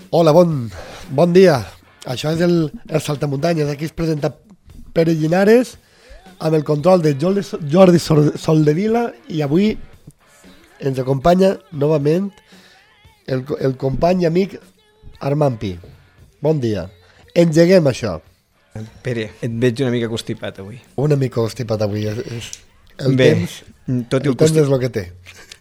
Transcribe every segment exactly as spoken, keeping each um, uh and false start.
Hola, bon, bon dia. Això és el, el Saltamuntanyes. Aquí es presenta Pere Llinares amb el control de Jordi, Jordi Soldevila, i avui ens acompanya novament el, el company i amic Armand Pi. Bon dia. Engeguem això. Pere, et veig una mica constipat avui. Una mica constipat avui. És, és el Bé, temps, tot el, el temps constip... és el que té.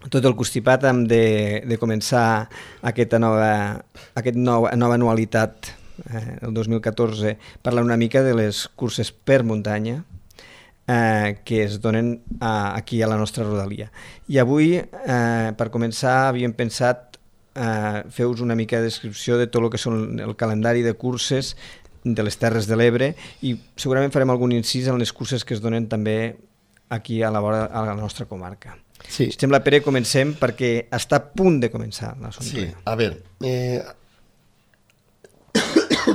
Tot el constipat hem de, de començar aquesta nova, aquest nou, nova anualitat, eh, el dos mil catorze, parlant una mica de les curses per muntanya eh, que es donen a, aquí a la nostra rodalia. I avui, eh, per començar, havíem pensat eh, fer-vos una mica de descripció de tot el que són el calendari de curses de les Terres de l'Ebre, i segurament farem algun incís en les curses que es donen també aquí a la vora, a la nostra comarca. Sí. Si sembla, Pere, comencem perquè està a punt de començar l'assumpte. Sí, a veure, eh,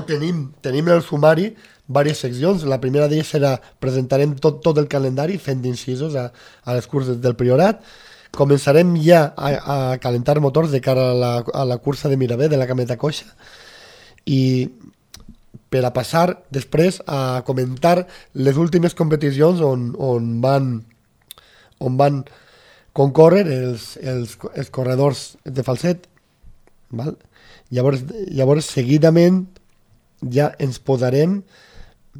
tenim, tenim en el sumari diverses seccions. La primera d'elles serà, presentarem tot, tot el calendari fent incisos a, a les curses del Priorat. Començarem ja a, a calentar motors de cara a la, a la cursa de Miravet, de la Cameta Coixa, i per a passar després a comentar les últimes competicions on, on van on van concórrer els, els, els corredors de Falset, val? Llavors, llavors seguidament ja ens posarem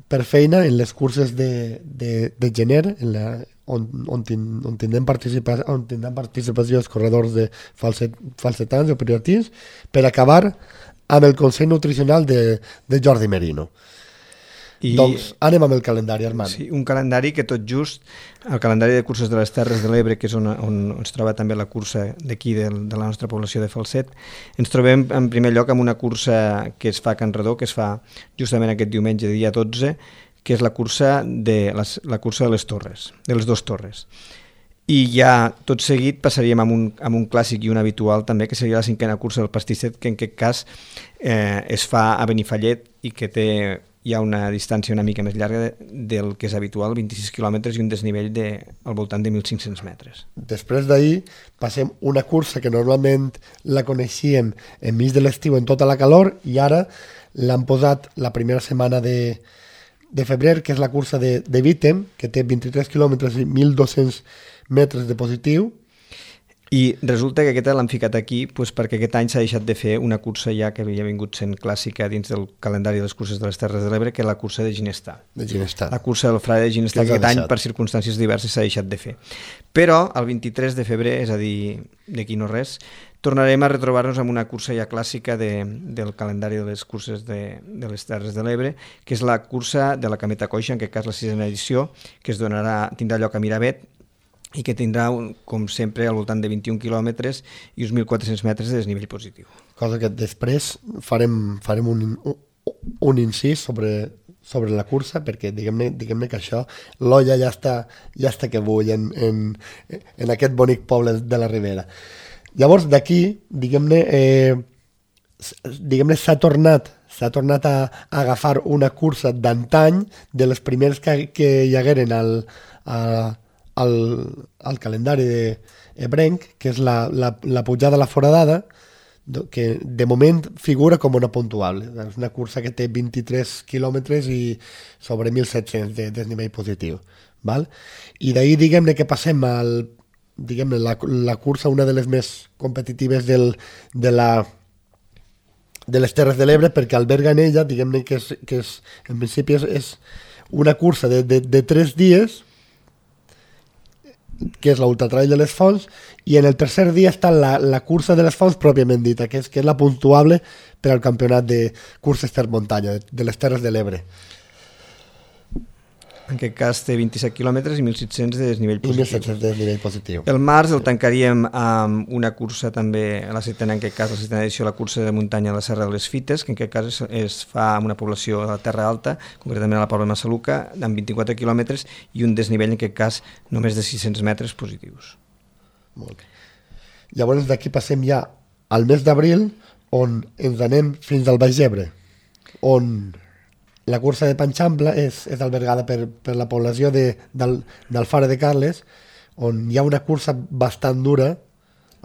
per feina en les curses de, de, de gener, en la, on, on, tin, on, tindrem participa, on tindran participació els corredors de falset, falsetans o prioratins, per acabar amb el Consell Nutricional de, de Jordi Merino. I, doncs anem amb el calendari, Armand. Sí, un calendari que tot just, el calendari de curses de les Terres de l'Ebre, que és on, on, on es troba també la cursa d'aquí de, de la nostra població de Falset, ens trobem en primer lloc amb una cursa que es fa a Can Redó, que es fa justament aquest diumenge, dia dotze, que és la cursa de les, la cursa de les Torres, de les dues torres. I ja tot seguit passaríem amb un, amb un clàssic i un habitual també, que seria la cinquena cursa del Pastisset, que en aquest cas eh, es fa a Benifallet i que té hi ha una distància una mica més llarga de, del que és habitual, vint-i-sis quilòmetres i un desnivell de, al voltant de mil cinc-cents metres. Després d'ahir passem una cursa que normalment la coneixíem enmig de l'estiu en tota la calor, i ara l'han posat la primera setmana de, de febrer, que és la cursa de, de Vítem, que té vint-i-tres quilòmetres i mil dos-cents metres de positiu. I resulta que aquesta l'han ficat aquí pues, perquè aquest any s'ha deixat de fer una cursa ja que havia vingut sent clàssica dins del calendari de les curses de les Terres de l'Ebre, que és la cursa de Ginestar. De Ginestar. La cursa del Frare de Ginestar, que aquest any, per circumstàncies diverses, s'ha deixat de fer. Però el vint-i-tres de febrer, és a dir, d'aquí no res, tornarem a retrobar-nos amb una cursa ja clàssica de, del calendari de les curses de, de les Terres de l'Ebre, que és la cursa de la Cameta Coixa, en aquest cas la sisena edició, que es donarà, tindrà lloc a Miravet, i que tindrà, un, com sempre, al voltant de vint-i-un quilòmetres i uns mil quatre-cents metres de desnivell positiu. Cosa que després farem, farem un, un, un incís sobre, sobre la cursa, perquè diguem-ne diguem que això, l'olla ja està, ja està que bull en, en, en aquest bonic poble de la Ribera. Llavors, d'aquí, diguem-ne, eh, diguem-ne s'ha tornat s'ha tornat a, a agafar una cursa d'antany, de les primeres que, que hi hagueren al, a, al, al calendari de ebrenc, que és la, la, la pujada a la foradada, que de moment figura com una puntuable. És una cursa que té vint-i-tres quilòmetres i sobre mil set-cents de desnivell positiu. Val? I d'ahir, diguem-ne, que passem al, diguem-ne, la, la cursa, una de les més competitives del, de la de les Terres de l'Ebre, perquè alberga en ella, diguem-ne, que, és, que és, en principi és, és una cursa de, de, de tres dies, que és l'Ultratrail de les Fonts, i en el tercer dia està la, la cursa de les Fonts pròpiament dita, que és, que és la puntuable per al campionat de curses per muntanya, de, de les Terres de l'Ebre. En aquest cas té vint-i-set quilòmetres i mil set-cents de desnivell positiu. I mil set-cents de desnivell positiu. El març el tancaríem amb una cursa també, a la setena, en aquest cas, la setena edició, la cursa de muntanya a la Serra de les Fites, que en aquest cas es, es fa amb una població de la Terra Alta, concretament a la Pobla de Massaluca, amb vint-i-quatre quilòmetres i un desnivell, en aquest cas, només de sis-cents metres positius. Molt bé. Llavors d'aquí passem ja al mes d'abril, on ens anem fins al Baix Ebre, on la cursa de Panxampla és, és albergada per, per la població de, del, del Fare de Carles, on hi ha una cursa bastant dura,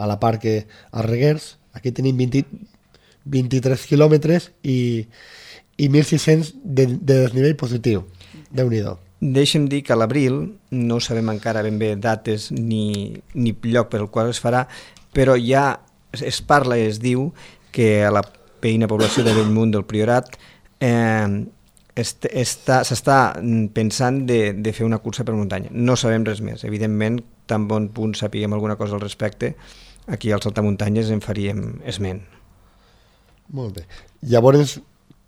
a la part que a Reguers, aquí tenim vint, vint-i-tres quilòmetres i, i mil sis-cents de, de desnivell positiu. Déu-n'hi-do. Deixa'm dir que a l'abril, no sabem encara ben bé dates ni, ni lloc per el qual es farà, però ja es parla i es diu que a la veïna població de Bellmunt del Priorat eh, est, està, s'està pensant de, de fer una cursa per muntanya. No sabem res més. Evidentment, tan bon punt sapiguem alguna cosa al respecte, aquí als Saltamuntanyes en faríem esment. Molt bé. Llavors,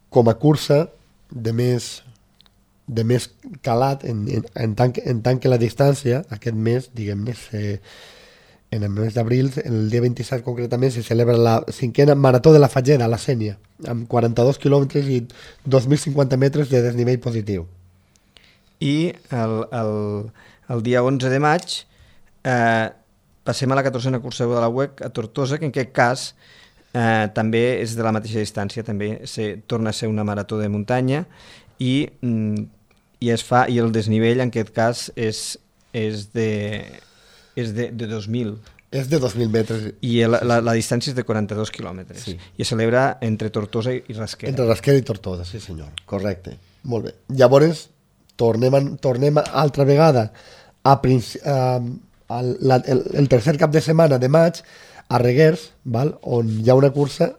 com a cursa de més, de més calat, en, en, en, tant que, en tant que la distància, aquest mes, diguem-ne, se, en el mes d'abril, el dia vint-i-set concretament, se celebra la cinquena Marató de la Fageda, a la Sénia, amb quaranta-dos quilòmetres i dos mil cinquanta metres de desnivell positiu. I el, el, el dia onze de maig eh, passem a la catorzena cursa de la U E C a Tortosa, que en aquest cas eh, també és de la mateixa distància, també se, torna a ser una marató de muntanya i, i, es fa, i el desnivell en aquest cas és, és de... és de, de dos mil. És de dos mil metres. I la, la, la distància és de quaranta-dos quilòmetres. Sí. I es celebra entre Tortosa i Rasquera. Entre Rasquera i Tortosa, sí senyor. Correcte. Molt bé. Llavors, tornem, a, tornem altra vegada a, a, a la, el, el tercer cap de setmana de maig a Reguers, val? On hi ha una cursa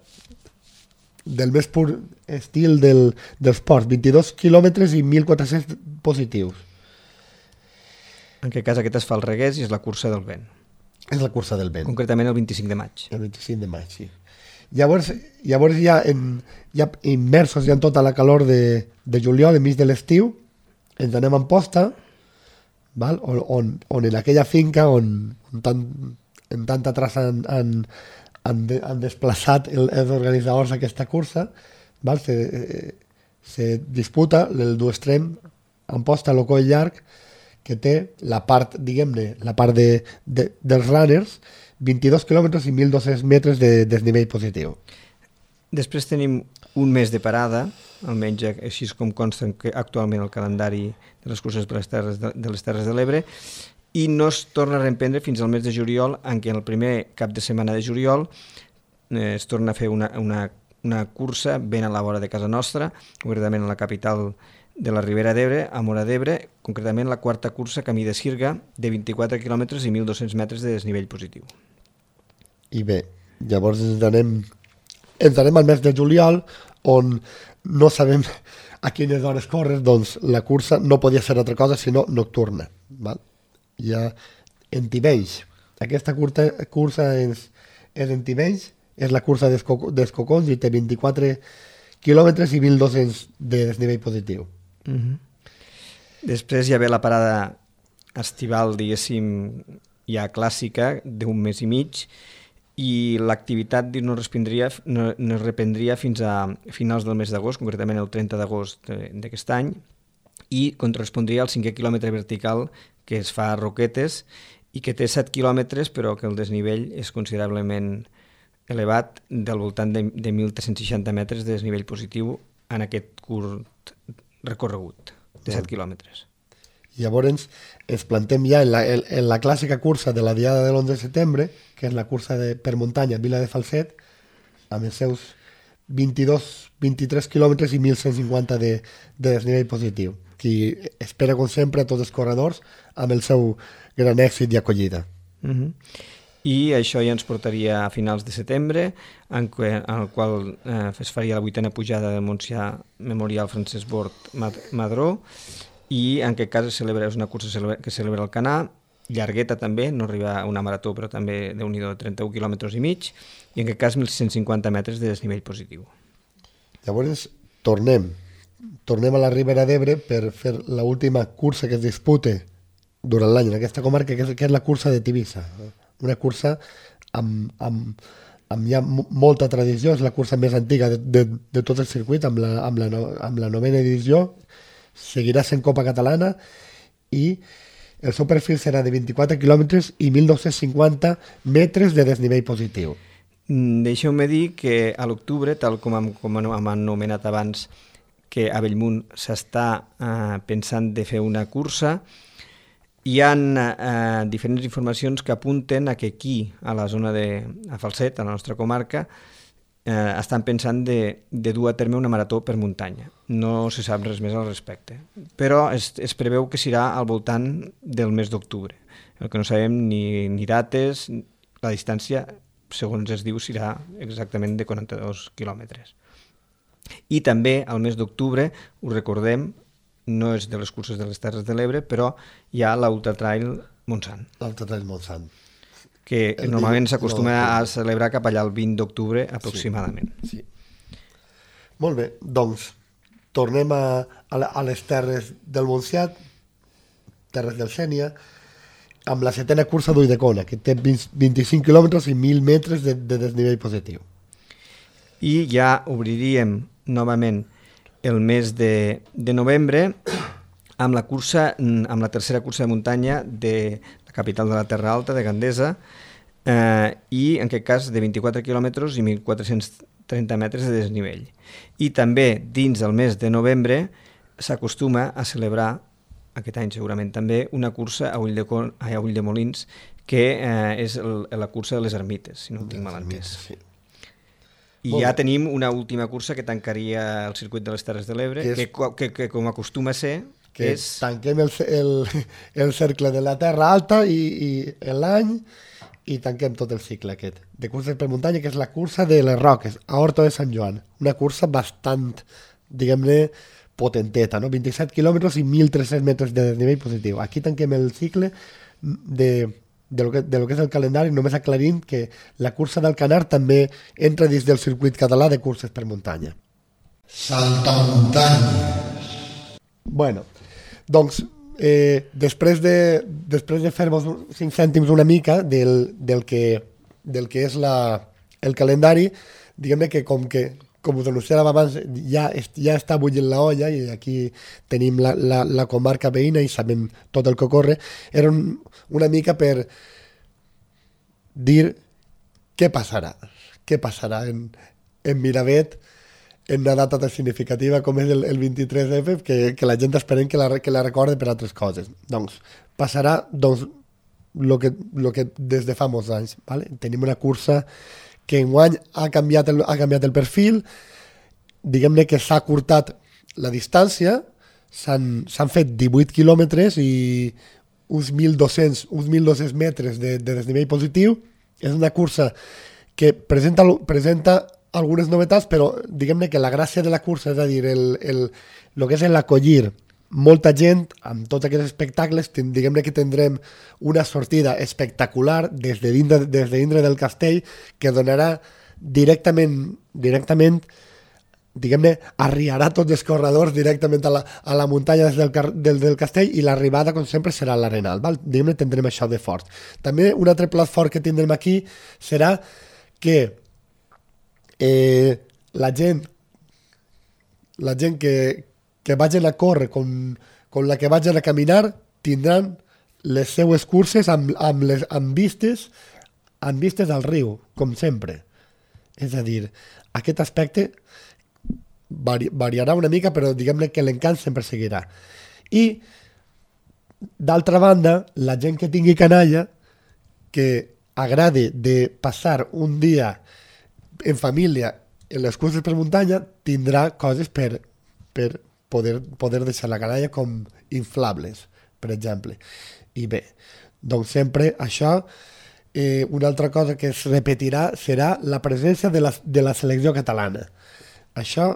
del més pur estil del, dels ports, vint-i-dos quilòmetres i mil quatre-cents positius. En aquest cas aquest es fa al Reguers i és la cursa del vent. És la cursa del vent. Concretament el vint-i-cinc de maig. El vint-i-cinc de maig, sí. Llavors, llavors ja, en, ja immersos ja en tota la calor de, de juliol, enmig de l'estiu, ens anem a Amposta, val? On, on, on en aquella finca on, on tant, en tanta traça han, han, han, de, han desplaçat el, els organitzadors d'aquesta cursa, val? Se, eh, se disputa el duestrem Amposta, lo Coll Llarg, que té la part, diguem-ne, la part de, de, dels runners, vint-i-dos quilòmetres i mil dos-cents metres de desnivell positiu. Després tenim un mes de parada, almenys així com consta actualment el calendari de les curses per les terres de, de les Terres de l'Ebre, i no es torna a reemprendre fins al mes de juliol, en què en el primer cap de setmana de juliol eh, es torna a fer una, una, una cursa ben a la vora de casa nostra, concretament a la capital de la Ribera d'Ebre, a Móra d'Ebre, concretament la quarta cursa Camí de Sirga, de vint-i-quatre quilòmetres i mil dos-cents metres de desnivell positiu. I bé, llavors ens anem, ens anem al mes de juliol, on no sabem a quines hores córrer, doncs la cursa no podia ser altra cosa sinó nocturna. Val? Ja en Tivenys. Aquesta curta, cursa és, és en Tivenys, és la cursa dels Cocons i té vint-i-quatre quilòmetres i mil dos-cents de desnivell positiu. Uh-huh. Després hi ha la parada estival, diguéssim, ja clàssica, d'un mes i mig, i l'activitat no, no, no es reprendria fins a finals del mes d'agost, concretament el trenta d'agost d'aquest any, i correspondria al cinquè quilòmetre vertical que es fa a Roquetes i que té set quilòmetres, però que el desnivell és considerablement elevat, del voltant de, de mil tres-cents seixanta metres de desnivell positiu en aquest curt recorregut de set quilòmetres. Llavors ens plantem ja en la, en, en la clàssica cursa de la diada de l'onze de setembre, que és la cursa de, per muntanya Vila de Falset, amb els seus vint-i-dos, vint-i-tres quilòmetres i mil cent cinquanta de, de desnivell positiu, que espera, com sempre, a tots els corredors amb el seu gran èxit i acollida. Uh-huh. I això ja ens portaria a finals de setembre, en, que, en el qual eh, es faria la vuitena pujada del Montsià Memorial Francesc Bort Madró, i en aquest cas es celebra, és una cursa que celebra el Canà, llargueta també, no arriba a una marató, però també déu-n'hi-do, trenta-un quilòmetres i mig, i en aquest cas mil cent cinquanta metres de desnivell positiu. Llavors tornem, tornem a la Ribera d'Ebre per fer l'última cursa que es dispute durant l'any en aquesta comarca, que és, que és la cursa de Tivissa. Una cursa amb, amb, amb ja molta tradició, és la cursa més antiga de, de, de tot el circuit, amb la, amb, la no, amb la novena edició, seguirà sent Copa Catalana i el seu perfil serà de vint-i-quatre quilòmetres i mil dos-cents cinquanta metres de desnivell positiu. Deixeu-me dir que a l'octubre, tal com hem, com hem anomenat abans, que a Bellmunt s'està eh, pensant de fer una cursa, hi ha eh, diferents informacions que apunten a que aquí, a la zona de a Falset, a la nostra comarca, eh, estan pensant de, de dur a terme una marató per muntanya. No se sap res més al respecte. Però es, es preveu que serà al voltant del mes d'octubre. El que no sabem ni, ni dates, la distància, segons es diu, serà exactament de quaranta-dos quilòmetres. I també al mes d'octubre, ho recordem, no és de les curses de les Terres de l'Ebre, però hi ha l'Ultra Trail Montsant. L'Ultra Trail Montsant. Que el normalment s'acostuma no, a celebrar cap allà el vint d'octubre aproximadament. Sí, sí. Molt bé, doncs tornem a, a, a les Terres del Montsià, Terres del Sénia, amb la setena cursa d'Ulldecona, que té vint-i-cinc quilòmetres i mil metres de, de desnivell positiu. I ja obriríem novament el mes de, de novembre amb la cursa, amb la tercera cursa de muntanya de la capital de la Terra Alta, de Gandesa, eh, i en aquest cas de vint-i-quatre quilòmetres i mil quatre-cents trenta metres de desnivell. I també dins del mes de novembre s'acostuma a celebrar, aquest any segurament també, una cursa a Ulldecona, a Ulldemolins, que eh, és el, la cursa de les Ermites, si no ho tinc mal entès. Sí. I ja tenim una última cursa que tancaria el circuit de les Terres de l'Ebre, que, és... que, que, que com acostuma a ser, que és... tanquem el, el, el cercle de la Terra Alta i, i l'any i tanquem tot el cicle aquest de curses per muntanya, que és la cursa de les Roques, a Horta de Sant Joan. Una cursa bastant, diguem-ne, potenteta, no? vint-i-set quilòmetres i mil tres-cents metres de desnivell positiu. Aquí tanquem el cicle de... De lo, que, de lo que és el calendari, només aclarint que la cursa del Canar també entra dins del circuit català de curses per muntanya. Saltamuntanyes. Bueno, doncs, eh, després de, després de fer-vos cinc cèntims una mica del, del, que, del que és la, el calendari, diguem-ne que com que com us anunciàvem abans, ja, ja està bullint la olla i aquí tenim la, la, la comarca veïna i sabem tot el que ocorre. Era un, una mica per dir què passarà. Què passarà en, en Miravet en una data tan significativa com és el, el vint-i-tres efe, que, que la gent esperem que la, que la recorde per altres coses. Doncs passarà doncs, lo que, lo que des de fa molts anys. ¿Vale? Tenim una cursa que enguany ha canviat el, ha canviat el perfil, diguem-ne que s'ha curtat la distància, s'han fet divuit quilòmetres i uns mil dos-cents uns mil dos-cents metres de, de desnivell positiu. És una cursa que presenta, presenta algunes novetats, però diguem-ne que la gràcia de la cursa, és a dir, el, el, el que és l'acollir molta gent amb tots aquests espectacles, diguem-ne que tindrem una sortida espectacular des de dintre, des de dintre del castell, que donarà directament, directament diguem-ne, arriarà tots els corredors directament a la, a la muntanya des del, del, del castell, i l'arribada, com sempre, serà a l'Arenal. Diguem-ne, tindrem això de fort. També un altre plat fort que tindrem aquí serà que eh, la gent la gent que que vagin a córrer com, com la que vagin a caminar tindran les seues curses amb, amb, les, amb, vistes, amb vistes al riu, com sempre. És a dir, aquest aspecte vari, variarà una mica, però diguem-ne que l'encant sempre seguirà. I, d'altra banda, la gent que tingui canalla, que agradi de passar un dia en família en les curses per muntanya, tindrà coses per, per poder, poder deixar la canalla com inflables, per exemple. I bé, doncs sempre això, eh, una altra cosa que es repetirà serà la presència de la, de la selecció catalana. Això,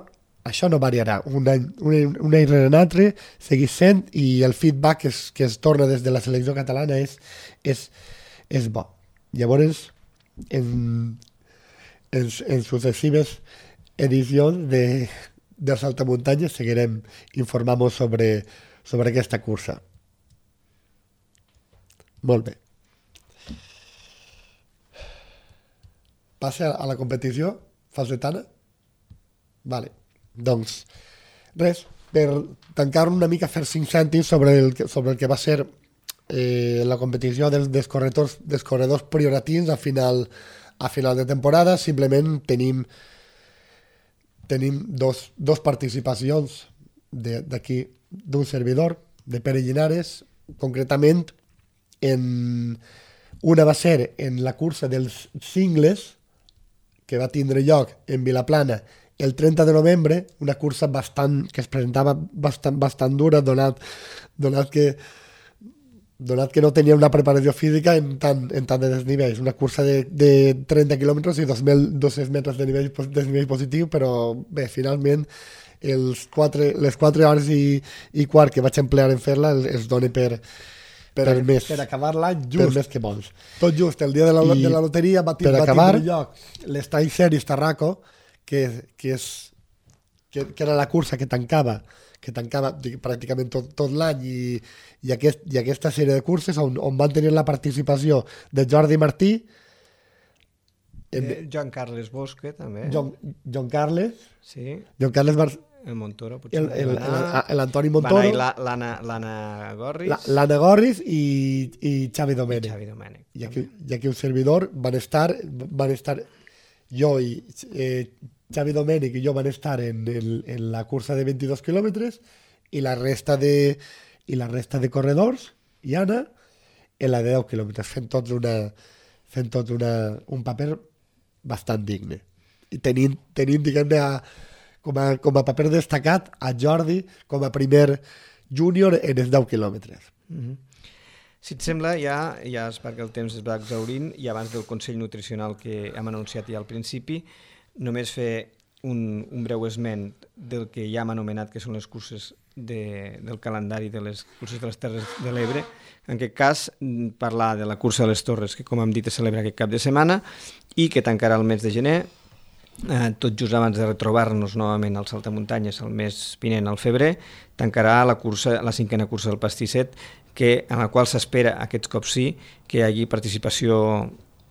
això no variarà. Un any, un, un any rere un altre segueix sent, i el feedback que es, que es torna des de la selecció catalana és, és, és bo. Llavors, en, en, en successives edicions de de Saltamuntanyes seguirem informant-vos sobre, sobre aquesta cursa. Molt bé. Passa a la competició falsetana? Vale. Doncs, res, per tancar una mica, fer cinc cèntims sobre el, sobre el que va ser eh, la competició dels, dels, corredors, dels corredors prioratins a final, a final de temporada. Simplement tenim tenim dos, dos participacions d'aquí, d'un servidor, de Pere Llinares, concretament en una va ser en la cursa dels cingles, que va tindre lloc en Vilaplana el trenta de novembre, una cursa bastant, que es presentava bastant, bastant dura, donat, donat, que, donat que no tenia una preparació física en tant, en tant de desnivells. Una cursa de, de trenta quilòmetres i dos mil dos-cents metres de nivell, de nivell positiu, però bé, finalment els quatre, les quatre hores i, i quart que vaig emplear en fer-la es dona per, per, per, més, per acabar l'any just. Per més que bons. Tot just, el dia de la, I de la loteria va, per va acabar, tindre lloc l'Estany Series Tarraco, que, que, és, que, que era la cursa que tancava que tancava pràcticament tot, tot l'any i, i, aquest, i aquesta sèrie de curses on, on van tenir la participació de Jordi Martí, eh, Joan Carles Bosque també, Joan, Joan Carles sí. Joan Carles Bar... el Montoro potser el, el, el, l'Antoni Montoro, l'Anna Gorris, la, l'Anna Gorris i, i Xavi Domènech. Xavi Domènech. I aquí, i aquí un servidor van estar, van estar jo i eh, Xavi Domènech i jo van estar en, en, en la cursa de veintidós quilòmetres i la resta de i la resta de corredors i Anna en la de deu quilòmetres, fent tots una fent tots una, un paper bastant digne. I tenint, tenint diguem-ne, a, com, a, com a paper destacat a Jordi com a primer júnior en els deu quilòmetres. Mm-hmm. Si et sembla, ja, ja és perquè el temps es va exhaurint i abans del Consell Nutricional que hem anunciat ja al principi, només fer un, un breu esment del que ja hem anomenat que són les curses de, del calendari de les curses de les Terres de l'Ebre. En aquest cas, parlar de la cursa de les Torres, que com hem dit es celebra aquest cap de setmana i que tancarà el mes de gener, eh, tot just abans de retrobar-nos novament al Saltamuntanyes el mes vinent, al febrer, tancarà la, cursa, la cinquena cursa del Pastisset, que, en la qual s'espera, aquests cops sí, que hi hagi participació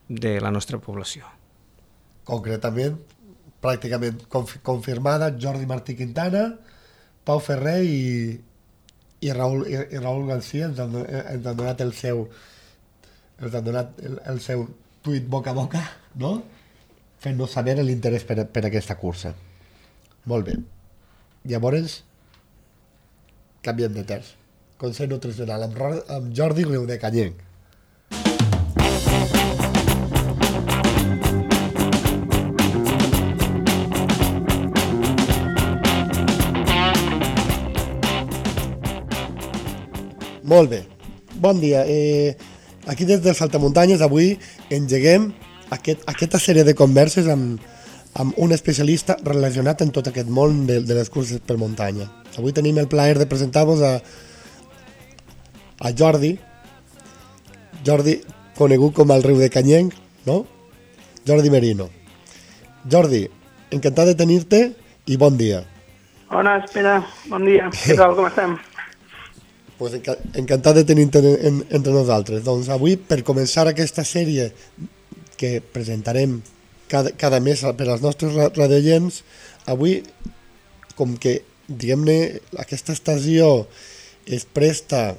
de la nostra població. Concretament, pràcticament conf confirmada, Jordi Martí Quintana, Pau Ferrer i, i, Raül, i, i Raül García ens han, ens han donat el seu ens han donat el, el seu tuit boca a boca, no? Fent-nos saber l'interès per, per aquesta cursa. Molt bé. Llavors, canviem de terç. Consell Nutricional amb, amb Jordi Riudecanyenc. Molt bé, bon dia. Eh, aquí des del Saltamuntanyes avui engeguem aquest, aquesta sèrie de converses amb, amb un especialista relacionat en tot aquest món de, de les curses per muntanya. Avui tenim el plaer de presentar-vos a, a Jordi, Jordi conegut com el Riudecanyenc, no? Jordi Merino. Jordi, encantat de tenir-te i bon dia. Hola, espera, bon dia. Què tal, com estem? Pues encantat de tenir-te en, entre nosaltres. Doncs avui, per començar aquesta sèrie que presentarem cada, cada mes per als nostres radioients, avui, com que, diguem-ne, aquesta estació es presta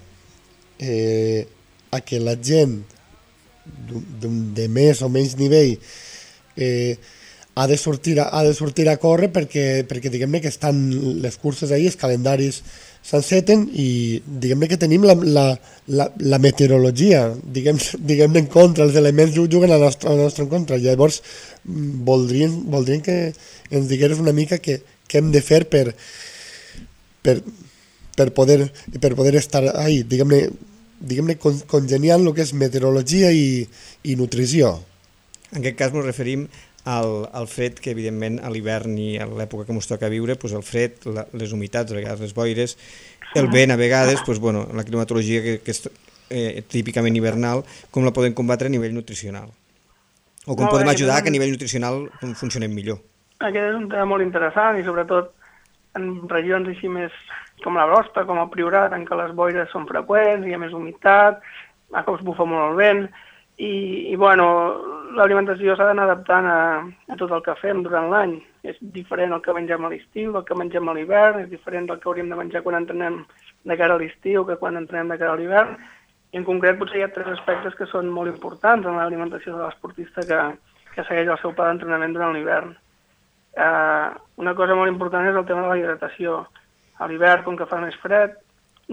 eh, a que la gent de més o menys nivell eh, ha de sortir a, ha de sortir a córrer perquè, perquè diguem-ne que estan les curses ahí, els calendaris s'enceten i diguem-ne que tenim la, la, la, la meteorologia, diguem-ne diguem en contra, els elements juguen a la nostra, a la nostra en contra. Llavors voldrien, voldrien que ens digueres una mica què, què hem de fer per, per, per, poder, per poder estar ahí, diguem-ne diguem-ne congeniant el que és meteorologia i, i nutrició. En aquest cas ens referim al, al fred que, evidentment, a l'hivern i a l'època que ens toca viure, doncs el fred, la, les humitats, a vegades les boires, el vent, a vegades, doncs, bueno, la climatologia que, que és eh, típicament hivernal, com la podem combatre a nivell nutricional? O com Molt podem bé, ajudar aquest que a nivell nutricional funcionem millor? Aquest és un tema molt interessant i sobretot en regions així més com la vostra, com el Priorat, en què les boires són freqüents, hi ha més humitat, a cops bufa molt el vent, i, i bueno, l'alimentació s'ha d'anar adaptant a, a tot el que fem durant l'any. És diferent el que mengem a l'estiu, el que mengem a l'hivern, és diferent del que hauríem de menjar quan entrenem de cara a l'estiu que quan entrenem de cara a l'hivern. I en concret potser hi ha tres aspectes que són molt importants en l'alimentació de l'esportista que, que segueix el seu pla d'entrenament durant l'hivern. Uh, una cosa molt important és el tema de la hidratació. A l'hivern, com que fa més fred,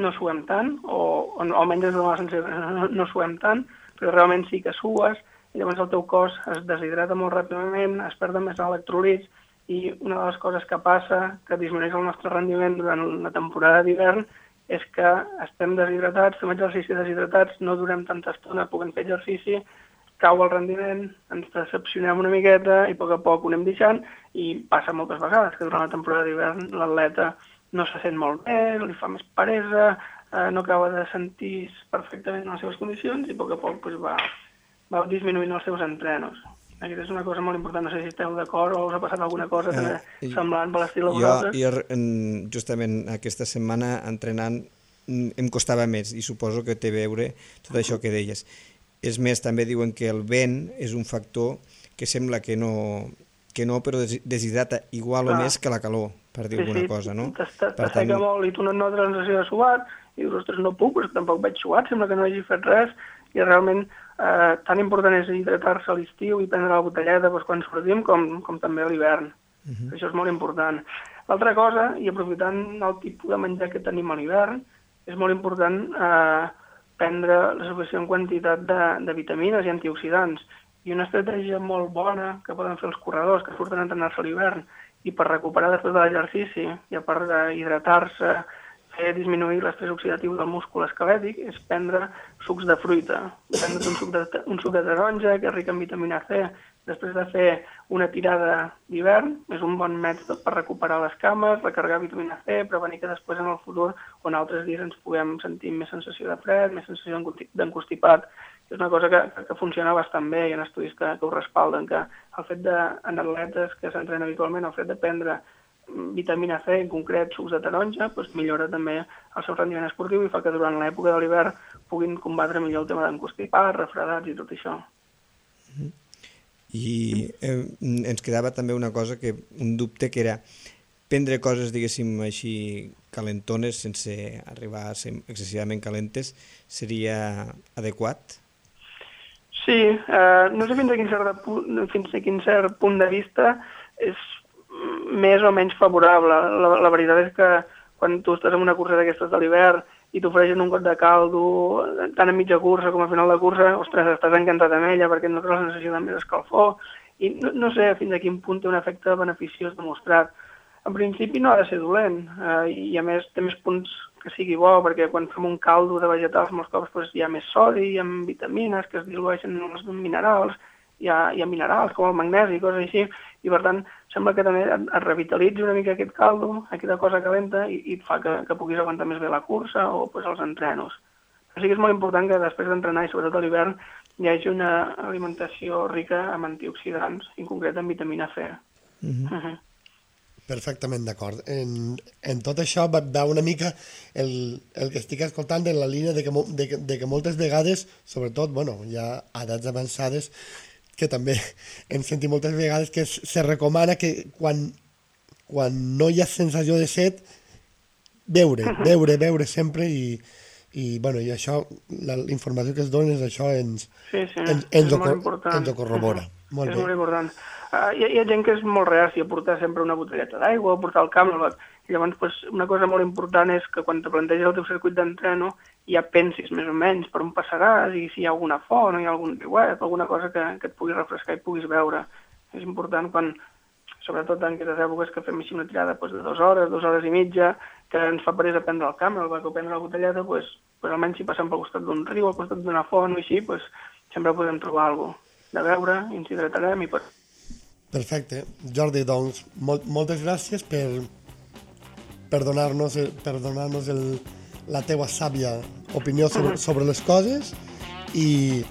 no suem tant, o, o almenys des de la sensació no, no suem tant, però realment sí que sues i llavors el teu cos es deshidrata molt ràpidament, es perden més electrolits, i una de les coses que passa, que disminueix el nostre rendiment durant la temporada d'hivern, és que estem deshidratats, fem exercici deshidratats, no durem tanta estona, puguem fer exercici, cau el rendiment, ens decepcionem una miqueta i a poc a poc ho anem deixant, i passa moltes vegades que durant la temporada d'hivern l'atleta no se sent molt bé, li fa més peresa, eh, no acaba de sentir perfectament en les seves condicions i a poc a poc pues, va, va disminuint els seus entrenos. Aquesta és una cosa molt important, no sé si esteu d'acord o us ha passat alguna cosa també eh, semblant per l'estil a vosaltres. Jo, jo justament aquesta setmana entrenant em costava més i suposo que té a veure tot això que deies. És més, també diuen que el vent és un factor que sembla que no, que no però deshidrata igual Clar. o més que la calor, per dir sí, alguna sí, cosa, no? T'asseca tant... molt i tu no notes la sensació de suat i dius, ostres, no puc, però tampoc veig suat, sembla que no hagi fet res i realment eh, tan important és hidratar-se a l'estiu i prendre la botelleta doncs, quan sortim com, com també a l'hivern. Uh -huh. Això és molt important. L'altra cosa, i aprofitant el tipus de menjar que tenim a l'hivern, és molt important eh, prendre la suficient quantitat de, de vitamines i antioxidants. I una estratègia molt bona que poden fer els corredors que surten a entrenar-se a l'hivern i per recuperar després de l'exercici i a part d'hidratar-se, fer disminuir l'estrès oxidatiu del múscul esquelètic, és prendre sucs de fruita. Prendre un suc de, un suc de taronja, que és ric en vitamina C, després de fer una tirada d'hivern, és un bon mètode per recuperar les cames, recarregar vitamina C, prevenir que després en el futur o en altres dies ens puguem sentir més sensació de fred, més sensació d'encostipat. És una cosa que, que funciona bastant bé, hi ha estudis que, que ho respalden, que el fet de, en atletes que s'entrenen habitualment, el fet de prendre vitamina C, en concret sucs de taronja, doncs millora també el seu rendiment esportiu i fa que durant l'època de l'hivern puguin combatre millor el tema d'encostipat, refredats i tot això. Mm-hmm. I eh, ens quedava també una cosa, que un dubte, que era prendre coses, diguéssim així, calentones, sense arribar a ser excessivament calentes, seria adequat? Sí, eh, no sé fins a, quin cert punt, fins a quin cert punt de vista és més o menys favorable. La, la veritat és que quan tu estàs en una cursa d'aquestes de l'hivern i t'ofereixen un got de caldo, tant a mitja cursa com a final de cursa, ostres, estàs encantat amb ella perquè no tens la sensació de més escalfor. I no, no sé fins a quin punt té un efecte beneficiós demostrat. En principi no ha de ser dolent, eh, i a més té més punts que sigui bo, perquè quan fem un caldo de vegetals molts cops doncs, hi ha més sodi, hi ha vitamines que es dilueixen en els minerals, hi ha, hi ha minerals com el magnesi i coses així, i per tant sembla que també et, et revitalitzi una mica aquest caldo, aquesta cosa calenta, i, i et fa que, que puguis aguantar més bé la cursa o pues, els entrenos. Però sí que és molt important que després d'entrenar, i sobretot a l'hivern, hi hagi una alimentació rica en antioxidants, en concret en vitamina C. Mm-hmm. Uh-huh. Perfectament d'acord. En, en tot això va, va una mica el, el que estic escoltant en la línia de que, de, que, de que moltes vegades, sobretot, bueno, ja a edats avançades, que també hem sentit moltes vegades que es, se recomana que quan, quan no hi ha sensació de set, beure, beure, beure sempre i, i, bueno, i això, la, la informació que es dona és això, ens, sí, sí, ens, ens, ho, ho, ens ho corrobora. Uh-huh. Molt és bé. molt important. Uh, hi, hi ha gent que és molt reàcia a portar sempre una botelleta d'aigua, a portar el Camelback. I llavors pues, una cosa molt important és que quan te planteges el teu circuit d'entreno ja pensis més o menys per on passaràs i si hi ha alguna font o hi ha algun riuet, alguna cosa que, que et pugui refrescar i puguis veure. És important quan, sobretot en aquestes èpoques que fem així una tirada pues, de dues hores, dues hores i mitja, que ens fa peresa prendre el Camelback o prendre la botelleta, pues, pues, almenys si passem pel costat d'un riu, al costat d'una font o així, pues, sempre podem trobar alguna cosa de veure, i ens hidratarem i per... Perfecte. Jordi, doncs, molt, moltes gràcies per, per donar-nos per donar-nos el, la teua sàvia opinió sobre, sobre les coses i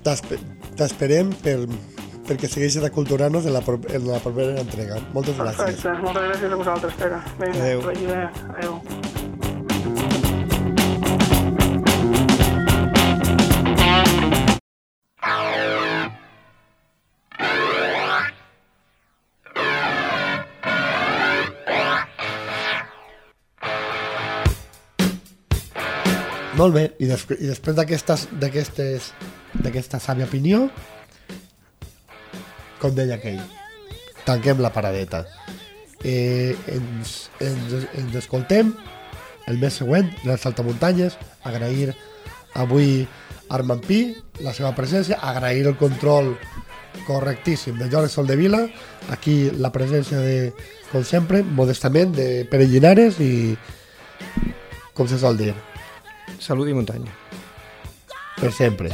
t'esperem per, perquè segueixis aculturant-nos en, la, en la propera entrega. Moltes gràcies. Perfecte. Moltes gràcies a vosaltres, Pere. Vinga, adéu. que vagi bé. Adéu. Molt bé, i, des, i després d'aquesta sàvia opinió, com deia aquell, tanquem la paradeta. Eh, ens, ens, ens escoltem el mes següent, les saltamuntanyes. Agrair avui Armand Pi, la seva presència, agrair el control correctíssim de Jorge Soldevila, aquí la presència de, com sempre, modestament, de Pere Llinares i, com se sol dir, Salut i muntanya. per sempre.